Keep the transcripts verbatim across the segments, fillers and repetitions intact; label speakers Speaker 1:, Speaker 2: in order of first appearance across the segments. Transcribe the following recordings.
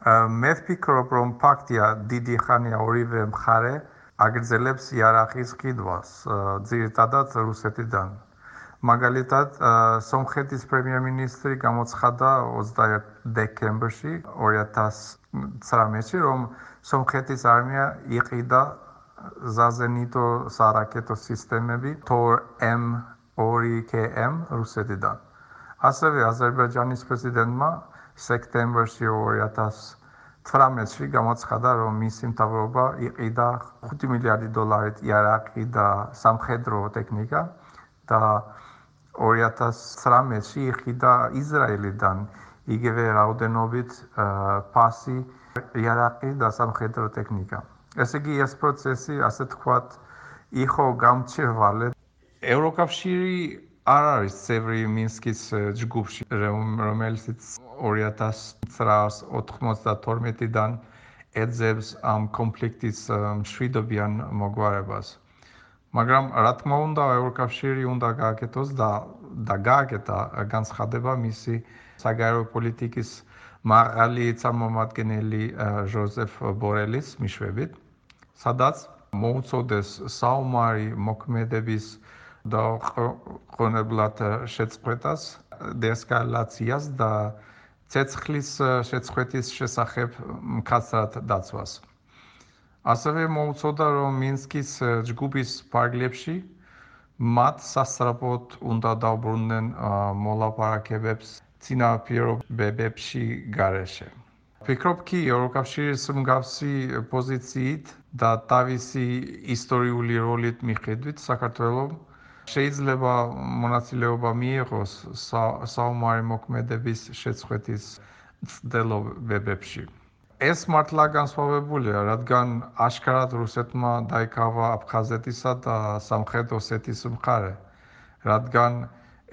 Speaker 1: მე ვფიქრობ, რომ ფაქტია დიდი ხანია ორივე მხარე აგრძელებს იარაღის ყიდვას, ძირითადად რუსეთიდან. მაგალითად, სომხეთის პრემიერ-მინისტრი გამოცხადა ოცდაერთი დეკემბერში ორი ათას ცხრამეტში, რომ სომხეთის არმია იყიდა ზაზენიტო სარაკეტო სისტემები თორ ემ ორი კე ემ რუსეთიდან. ასევე აზერბაიჯანის პრეზიდენტმა სექტემბერში ორი ათას ცხრამეტში გამოცხადა, რომ მისი მთავრობა იყიდა ხუთი მილიარდი დოლარით იარაღი და სამხედრო ტექნიკა და ორი ათას ცხრამეტში იყიდა ისრაელიდან იგივე რაოდენობით ფასი იარაღი და სამხედრო ტექნიკა. ესე იგი, ეს პროცესი, ასე თქვათ, იყო გამჭვირვალე. ევროკავშირი არ არის წევრი მინსკის ჯგუფში, რომელიც ორი ათას ოცდათორმეტიდან ეძებს ამ კონფლიქტის მშვიდობიან მოგვარებას. მაგრამ რა თქმა უნდა, ევროკავშირი უნდა გააკეთოს და და გააკეთა განცხადება მისი საგარეო პოლიტიკის მაღალი წარმომადგენელი ჟოზეფ ბორელის მიშვებით, სადაც მოუწოდეს საომარი მოქმედების დაუყოვნებლად შეწყვეტას, დეესკალაციას და ცეცხლის შეწყვეტის შესახებ მკაცრად დაცვას. ასევე მოუწოდა, რომ მინსკის ჯგუფის ფარგლებში მათ სასწრაფოდ უნდა დაუბრუნდნენ მოლაპარაკებებს წინაპირობებში გარეშე. ვფიქრობ კი, ევროკავშირის მსგავსი პოზიციით და თავისი ისტორიული როლით მიხედვით, საქართველომ შეიძლება მონაწილეობა მიიღოს საომარი მოქმედების შეწყვეტის მცდელობებში. ეს მართლა განსხვავებულია, რადგან აშკარად რუსეთმა დაიკავა აფხაზეთისა და სამხრეთ ოსეთის მხარე, რადგან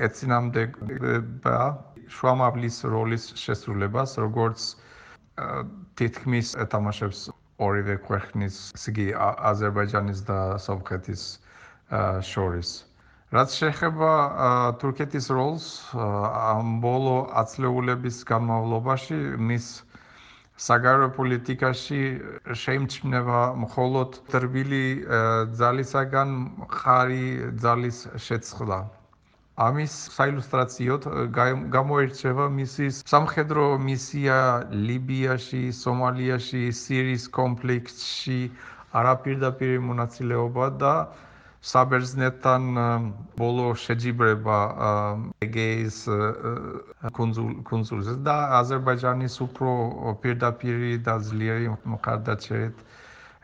Speaker 1: ეწინააღმდეგება შუამავლის როლის შესრულებას, როგორც თითქმის ეთამაშებს ორივე ქვეყნის, იგი აზერბაიჯანის და სომხეთის შორის. რაც შეეხება თურქეთის როლს ამ ბოლო ათწლეულების განმავლობაში, მის საგარეო პოლიტიკაში შეიმჩნევა მხოლოდ რბილი ძალისაგან მყარი ძალის შეცვლა. ამის საილუსტრაციოდ გამოირჩევა მისი სამხედრო მისია ლიბიაში, სომალიაში, სირიის კონფლიქტში, არაპირდაპირი მონაწილეობა და საბერძნეთთან ბოლო შეჯიბრება ეგეის კუნძულზე და აზერბაიჯანის უფრო პირდაპირი და ძლიერი მხარდაჭერით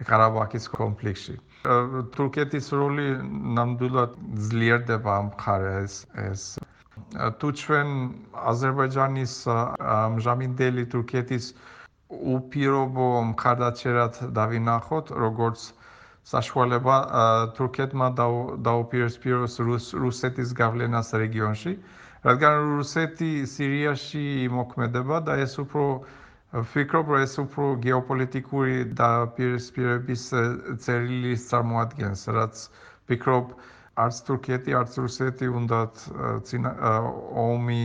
Speaker 1: ყარაბაღის კონფლიქტში. თურქეთის როლი ნამდვილად ძლიერდება ამ მხარეს. თუ ჩვენ აზერბაიჯანის ამჟამინდელი თურქეთის უპირობო მხარდაჭერად დავინახოთ, როგორც საშუალება თურქეთმა დაუპირისპიროს რუსეთის გავლენას რეგიონში, რადგან რუსეთი სირიაში იმოქმედება და ეს უფრო ვფიქრობ, რომ ეს უფრო გეოპოლიტიკური დაპირისპირების წერილის წარმოადგენს, რაც ვფიქრობ, არც თურქეთი, არც რუსეთი უნდათ ომი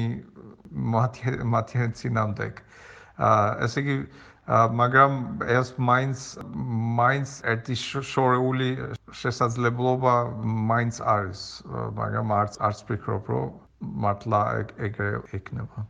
Speaker 1: მათი წინააღმდეგ. ესე იგი, მაგრამ ეს მაინც მაინც ერთი შორეული შესაძლებლობა მაინც არის, მაგრამ არც არც ვფიქრობ, რომ მართლა ეგრე იქნება.